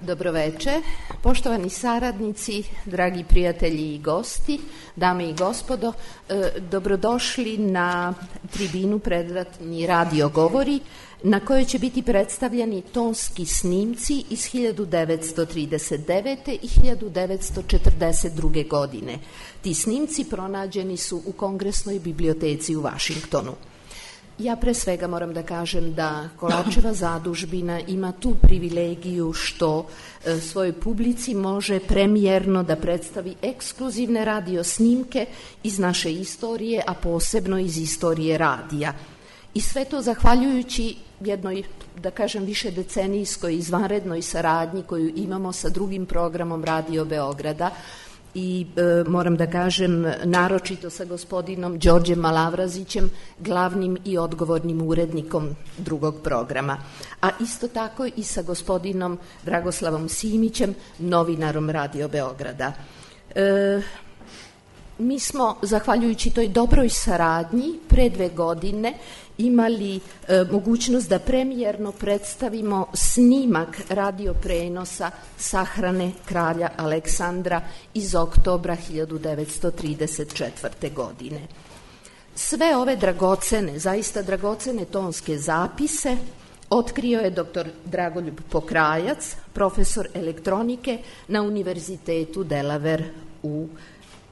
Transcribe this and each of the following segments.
Dobroveče, poštovani saradnici, dragi prijatelji i gosti, dame i gospodo, dobrodošli na tribinu Predratni radio govori, na kojoj će biti predstavljeni tonski snimci iz 1939. i 1942. godine. Ti snimci pronađeni su u Kongresnoj biblioteci u Vašingtonu. Ja pre svega moram da kažem da Kolačeva zadužbina ima tu privilegiju što svojoj publici može premijerno da predstavi ekskluzivne radio snimke iz naše istorije, a posebno iz istorije radija. I sve to zahvaljujući jednoj, da kažem, višedecenijskoj izvanrednoj saradnji koju imamo sa drugim programom Radio Beograda, i moram da kažem naročito sa gospodinom Đorđem Malavrazićem, glavnim i odgovornim urednikom drugog programa, a isto tako i sa gospodinom Dragoslavom Simićem, novinarom Radio Beograda. Mi smo, zahvaljujući toj dobroj saradnji, pre 2 godine imali mogućnost da premijerno predstavimo snimak radio prenosa sahrane kralja Aleksandra iz oktobra 1934. godine. Sve ove dragocene, zaista dragocene tonske zapise otkrio je dr. Dragoljub Pokrajac, profesor elektronike na Univerzitetu Delaware u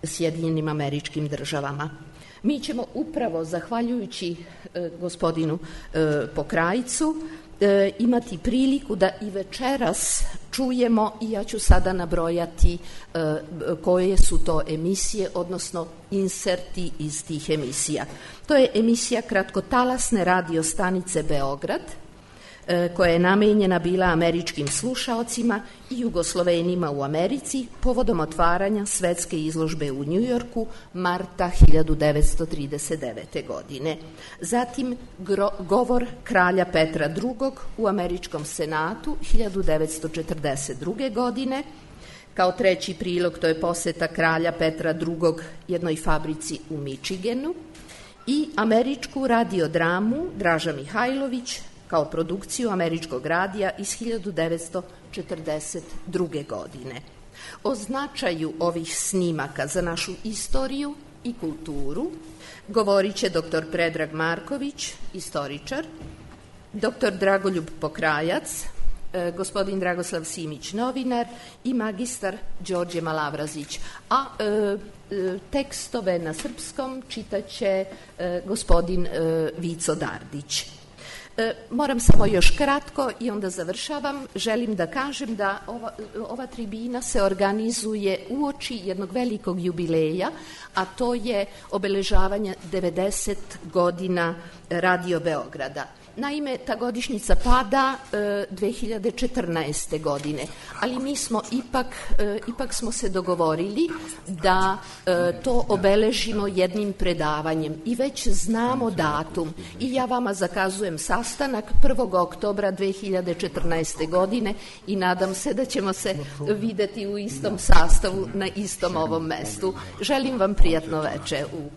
Sjedinjenim Američkim Državama. Mi ćemo upravo, zahvaljujući gospodinu Pokrajcu, imati priliku da i večeras čujemo, i ja ću sada nabrojati koje su to emisije, odnosno inserti iz tih emisija. To je emisija kratkotalasne radio stanice Beograd, koja je namenjena bila američkim slušaocima i Jugoslovenima u Americi povodom otvaranja svetske izložbe u Njujorku marta 1939. godine. Zatim govor kralja Petra II. U američkom senatu 1942. godine. Kao treći prilog to je poseta kralja Petra II. Jednoj fabrici u Mičigenu i američku radiodramu Draža Mihajlović kao produkciju američkog radija iz 1942. godine. O značaju ovih snimaka za našu istoriju i kulturu govorit će dr. Predrag Marković, istoričar, dr. Dragoljub Pokrajac, gospodin Dragoslav Simić, novinar, i magistar Đorđe Malavrazić. A tekstove na srpskom čitaće gospodin Vico Dardić. Moram samo još kratko i onda završavam. Želim da kažem da ova tribina se organizuje uoči jednog velikog jubileja, a to je obeležavanje 90 godina Radio Beograda. Naime, ta godišnjica pada 2014. godine, ali mi smo ipak smo se dogovorili da to obeležimo jednim predavanjem i već znamo datum i ja vama zakazujem sastanak 1. oktobra 2014. godine i nadam se da ćemo se videti u istom sastavu na istom ovom mestu. Želim vam prijatno veče u